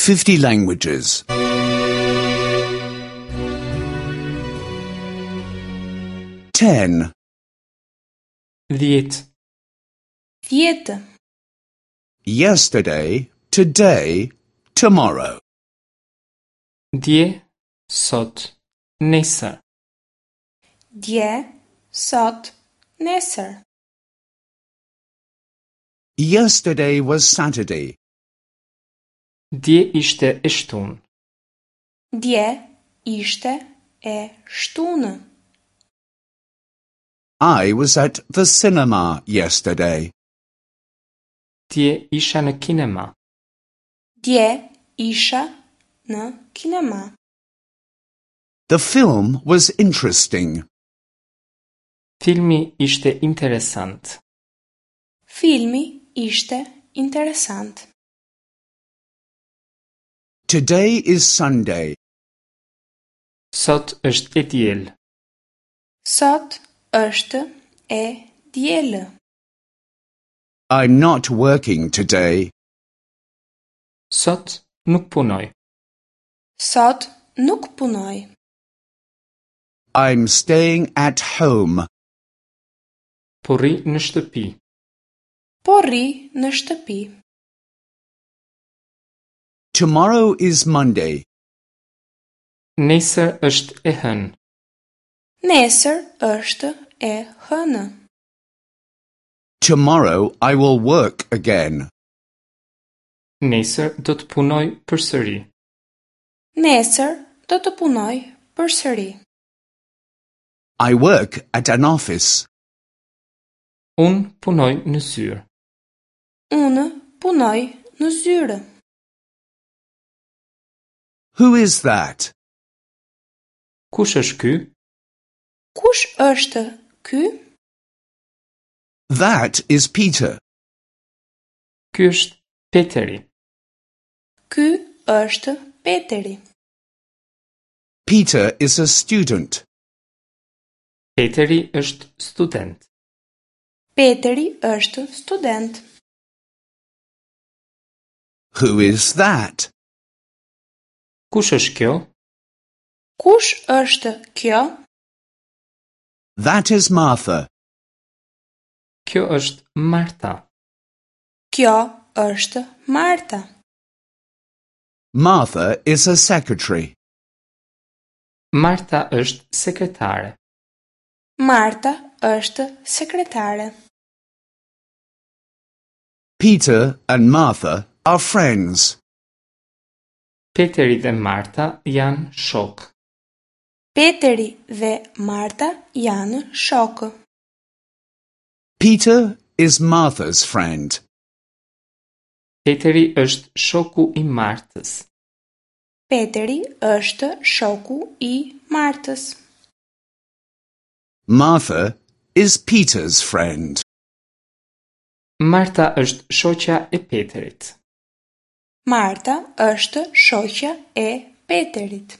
50 languages. 10, 10, 10. Yesterday, today, tomorrow. Dje, sot, nesër. Dje, sot, nesër. Yesterday was Saturday. Dje ishte e shtunë. Dje ishte e shtunë. I was at the cinema yesterday. Dje isha në kinema. Dje isha në kinema. The film was interesting. Filmi ishte interesant. Filmi ishte interesant. Today is Sunday. Sot është e diel. Sot është e diel. I'm not working today. Sot nuk punoj. Sot nuk punoj. I'm staying at home. Po rri në shtëpi. Po rri në shtëpi. Tomorrow is Monday. Nesër është e hënë. Nesër është e hënë. Tomorrow I will work again. Nesër do të punoj përsëri. Nesër do të punoj përsëri. I work at an office. Unë punoj në zyrë. Unë punoj në zyrë. Who is that? Kush është ky? Kush është ky? That is Peter. Ky është Peteri. Ky është Peteri. Peter is a student. Peteri është student. Peteri është student. Who is that? Kush është kjo? Kush është kjo? That is Martha. Kjo është Marta. Kjo është Marta. Martha is a secretary. Marta është sekretare. Marta është sekretare. Peter and Martha are friends. Peteri dhe Marta janë shokë. Peteri dhe Marta janë shokë. Peter is Martha's friend. Peteri është shoku i Martës. Peteri është shoku i Martës. Martha is Peter's friend. Marta është shoqja e Peterit. Marta është shoqja e Peterit.